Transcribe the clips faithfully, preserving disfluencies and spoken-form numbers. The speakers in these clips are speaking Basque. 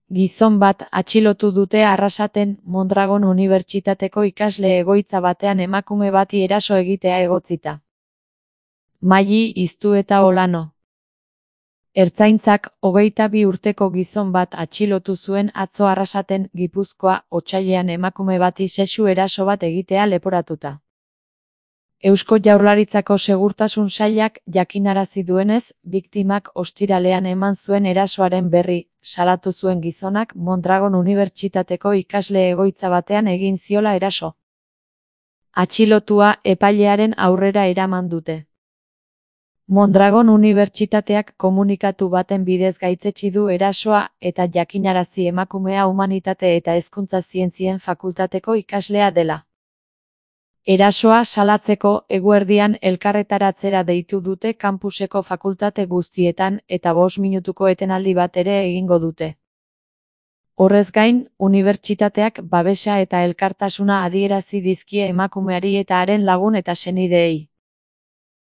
Gizon bat atxilotu dute Arrasaten Mondragon Unibertsitateko ikasle egoitza batean emakume bati eraso egitea egotzita. Maili Iztueta Olano. Ertzaintzak hogeita bi urteko gizon bat atxilotu zuen atzo Arrasaten, Gipuzkoa, otsailean emakume bati sexu eraso bat egitea leporatuta. Eusko Jaurlaritzako Segurtasun Sailak jakinarazi duenez, biktimak ostiralean eman zuen erasoaren berri salatu zuen gizonak Mondragon Unibertsitateko ikasle egoitza batean egin ziola eraso. Atxilotua epailearen aurrera eraman dute. Mondragon Unibertsitateak komunikatu baten bidez gaitzetsi du erasoa eta jakinarazi emakumea Humanitate eta Hezkuntza Zientzien Fakultateko ikaslea dela. Erasoa salatzeko eguerdian elkarretaratzera deitu dute kampuseko fakultate guztietan eta bost minutuko etenaldi bat ere egingo dute. Horrez gain, unibertsitateak babesa eta elkartasuna adierazi dizkie emakumeari eta haren lagun eta senideei.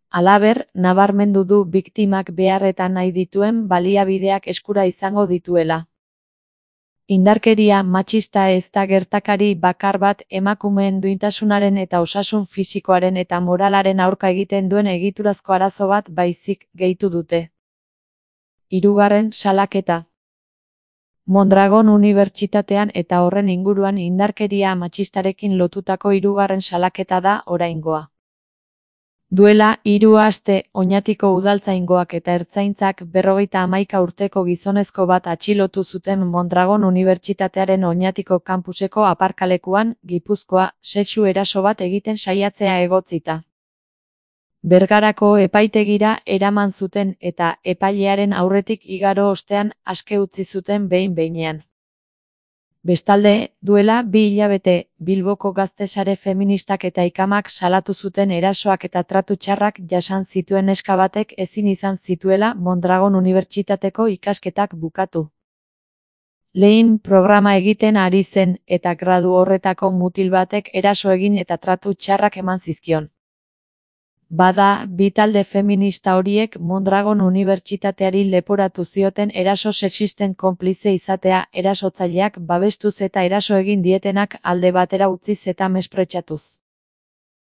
Halaber, nabarmendu du biktimak beharretan nahi dituen baliabideak eskura izango dituela. Indarkeria matxista ez da gertakari bakar bat emakumeen duintasunaren eta osasun fisikoaren eta moralaren aurka egiten duen egiturazko arazo bat baizik, gehitu dute. Hirugarren salaketa. Mondragon Unibertsitatean eta horren inguruan indarkeria matxistarekin lotutako hirugarren salaketa da oraingoa. Duela hiru aste, Oñatiko udaltzaingoak eta ertzaintzak berrogeita hamaika urteko gizonezko bat atxilotu zuten Mondragon Unibertsitatearen Oñatiko kampuseko aparkalekuan, Gipuzkoa, sexu eraso bat egiten saiatzea egotzita. Bergarako epaitegira eraman zuten eta epailearen aurretik igaro ostean aske utzi zuten behin-behinean. Bestalde, duela bi hilabete, Bilboko gazte-sare feministak eta ikamak salatu zuten erasoak eta tratu txarrak jasan zituen neska batek ezin izan zituela Mondragon Unibertsitateko ikasketak bukatu. Lehen programa egiten ari zen eta gradu horretako mutil batek eraso egin eta tratu txarrak eman zizkion. Bada, bi talde feminista horiek Mondragon Unibertsitateari leporatu zioten eraso sexisten konplize izatea, erasotzaileak babestuz eta eraso egin dietenak alde batera utziz eta mespretxatuz.